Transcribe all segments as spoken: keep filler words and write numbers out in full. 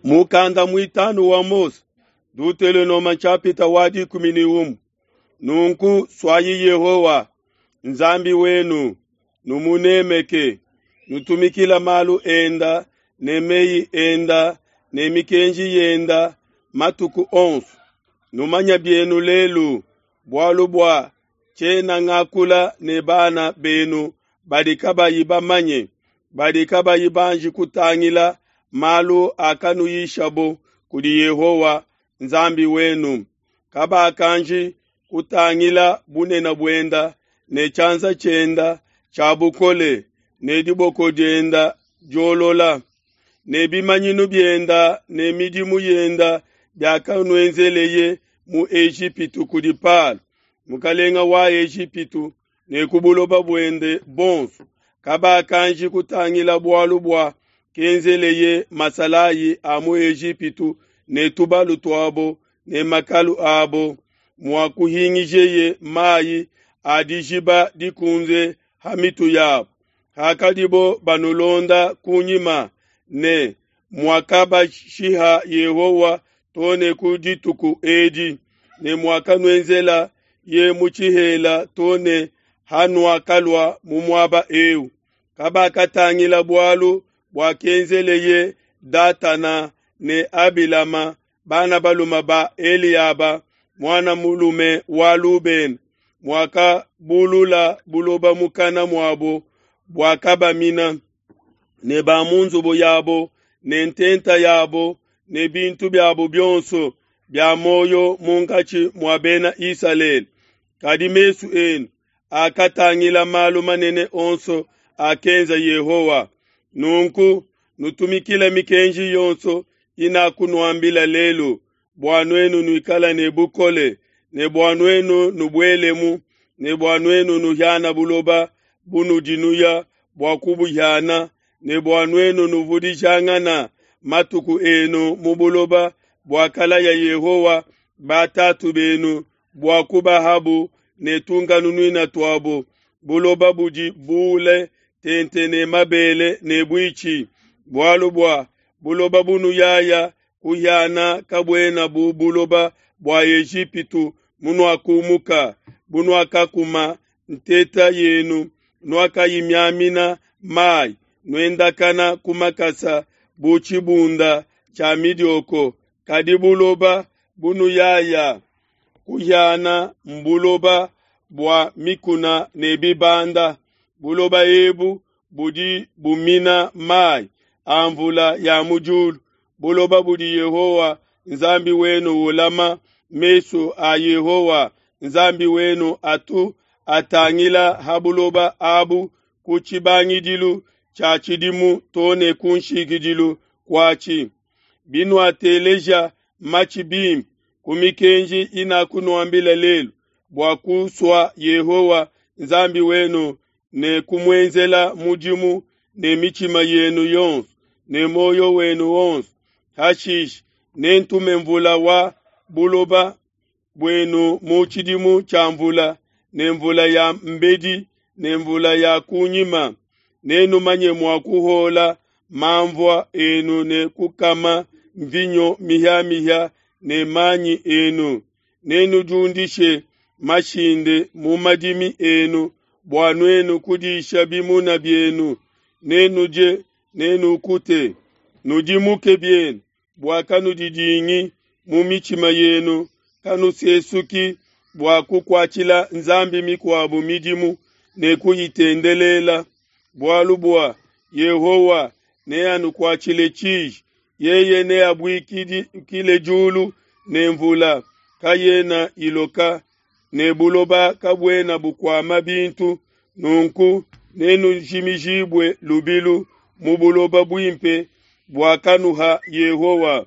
Mukanda muitanu wa Mose, Dutelonoma nshapita wa dikumi ne umue. Nunku suayi Yehowa Nzambi wenu, numunemeke, nutumikila malu enda ne meyi enda ne mikenji yenda matuku onso. Numanya bienu lelu, bualu bua tshiena ngakula ne bana benu badi kabayi bamanye, badi kabayi banji kutangila malu akanuyishabo kudi Yehowa Nzambi wenu. Kabakanji kutangila bunene buenda ne tshianza tshienda tshia bukole ne diboko dienda diolola ne bimanyinu bienda ne midimu yenda biakanuenzeleye mu Ejipitu kudi Palo, mukalenga wa Ejipitu, ne ku buloba buende bonso. Kabakanji kutangila bualu bua kenzeleye masalayi a mu Ejipitu ne tubalu tuabo ne makalu abo, muakuhingijeye mayi a dijiba dikunze ha mitu yabo, hakadibo banulonda kunyima, ne muakabashiha Yehowa too ne ku dituku edi, ne muakanuenzela ye mu tshihela too ne hanuakalua mu muaba eu. Kabakatangila bualu buakenzeleye Datana ne Abilama, bana balume ba Eliaba, muana mulume wa Lubena, muakabulula buloba mukana muabo buakabamina, ne ba mu nzubu yabo ne ntenta yabo ne bintu biabo bionso bia muoyo munkatshi mua bena Isalele. Kadi mesu enu akatangila malu manene onso akenza Yehowa. Nunku nutumikile mikenji yonso inakunuambila lelu, bua nuenu nuikale ne bukole, ne bua nuenu nubuelemu, ne bua nuenu nuhiana buloba bunudi nuya bua kubuhiana, ne bua nuenu nuvudijangana matuku enu mu buloba buakalaya Yehowa batatu benu bua kubahabu ne tunkanunuina tuabo, buloba budi bule tente ne mabele ne buitshi. Bualu bua buloba bunuyaya kuhiana kabuena bu buloba bua Ejipitu munuakumuka, bunuakakuma nteta yenu, nuakayimiamina mayi, nuendakana ku makasa bu tshibunda tshia midioko. Kadi buloba bunuyaya kuhiana mbuloba bua mikuna ne bibanda. Buloba ebu budi bumina mayi a mvula ya mu diulu, buloba budi Yehowa Nzambi wenu ulama. Mesu a Yehowa Nzambi wenu atu atangila ha buloba abu ku tshibangidilu tshia tshidimu too ne ku nshikidilu kuatshi. Binuateleja matshi bimpe ku mikenji inakunuambila lelu, bua kusua Yehowa Nzambi wenu ne kumuenzela mudimu ne mitshima yenu yonso ne muoyo wenu wonso, hashishe nentume mvula wa buloba buenu mu tshidimu tshia mvula, ne mvula ya mbedi ne mvula ya kunyima. Nenumanye mua kuhola mamvua enu ne kukama mvinyo mihiamihia ne manyi enu. Nenudiundishe mashinde mu madimi enu bua nuenu kudisha bimuna bienu. Nenudie, nenukute. Nudimuke bienu bua kanudidingi mu mitshima yenu, kanusesuki bua kukuatshila nzambi mikuabo midimu ne kuyitendelela. Bualu bua Yehowa neanukuatshile tshiji, yeye neabuikile diulu ne mvula kayena iloka, ne buloba kabuena bukuama bintu. Nunku nenujimijibue lubilu mu buloba buimpe buakanuha Yehowa.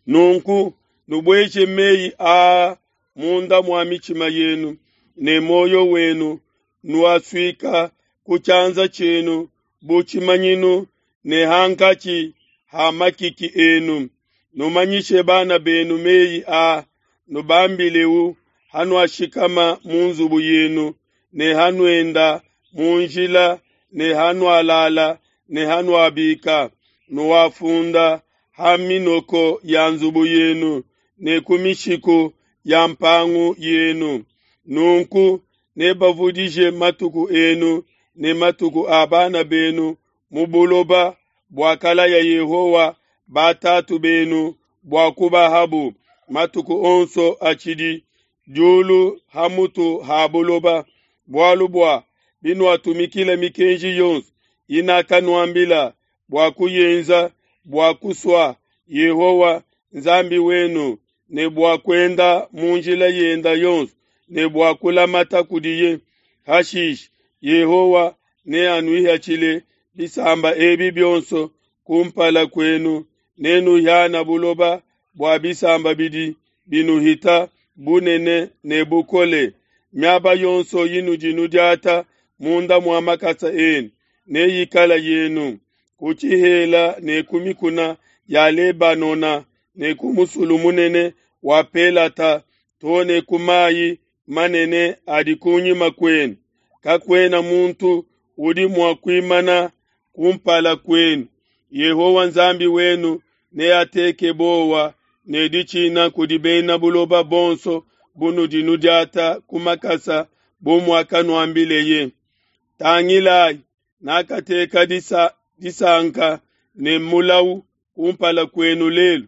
Nunku nubueje meyi aa munda mua mitshima yenu ne muoyo wenu, nuasuika ku tshianza tshienu bu tshimanyinu ne hankatshi ha makiki enu. Numanyishe bana benu meyi aa, nubambileu hanuashikama mu nzubu yenu, ne hanuenda mu njila, ne hanualala, ne hanuabika. Nuafunda ha minoko ya nzubu yenu ne ku mishiku ya mpangu yenu. Nunku nebavudije matuku enu ne matuku a bana benu mu buloba buakalaya Yehowa batatu benu bua kubahabu, matuku onso atshidi diulu ha mutu ha buloba. Bualu bua binuatumikila mikenji yonso inakanuambila bua kuyenza, bua kusua Yehowa, Nzambi wenu, ne bua kuenda mu njila yende yonso ne bua kulamata kudiye, hashishe Yehowa neanuihatshile bisamba ebi bionso ku mpala kuenu, nenuhiane buloba bua bisamba bidi binuhita bunene ne bukole. Miaba yonso inudi nudiata munda mua makasa enu neyikale yenu, ku tshihela ne ku mikuna ya Lebanona ne ku musulu munene wa Pelata to ne ku mai manene adi ku nyima kuenu. Kakuena muntu udi mua kuimana ku mpala kuenu. Yehowa Nzambi wenu neateke buowa ne ditshina kudi bena buloba bonso bunudi nudiata ku makasa bu muakanuambileye. Tangilai, nakateka disa, disanka ne mulau kumpala kuenu lelu.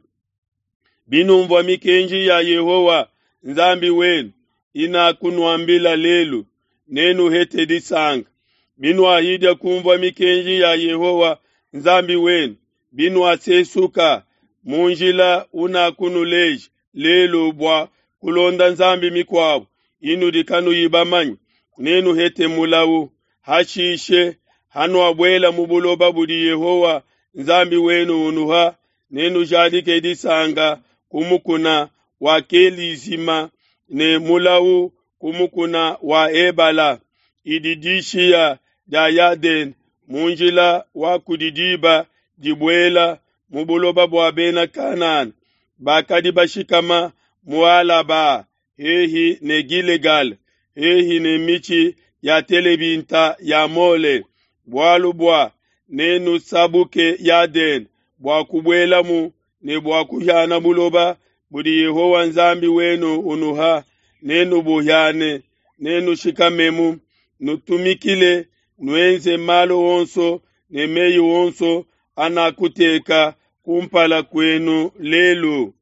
Binumvua mikenji ya Yehowa Nzambi wenu inakunuambila lelu, nenuhete disanka. Binuahidia kunvua mikenji ya Yehowa Nzambi wenu, binuasesuka mu njila unakunuleja lelu bua kulonda nzambi mikuabo inudi kanuyi bamanye, nenuhete mulau. Hashishe, hanuabuela mu buloba budi Yehowa Nzambi wenu unuha, nenujadike disanka ku mukuna wa Kelizima ne mulau ku mukuna wa Ebala, idi dishiya dia Yadene mu njila wa kudi diba dibuela mu buloba bua Bena Kanana bakadi bashikama mu Alaba hehi ne Gilegala, hehi ne mitshi ya telebinta ya Mole. Bualu bua nenusabuke Yadene bua kubuelamu ne bua kuhiana buloba budi Yehowa Nzambi wenu unuha, nenubuhiane, nenushikamemu, nutumikile, nuenze malu onso ne mei onso anakuteka kumpala kuenu lelu.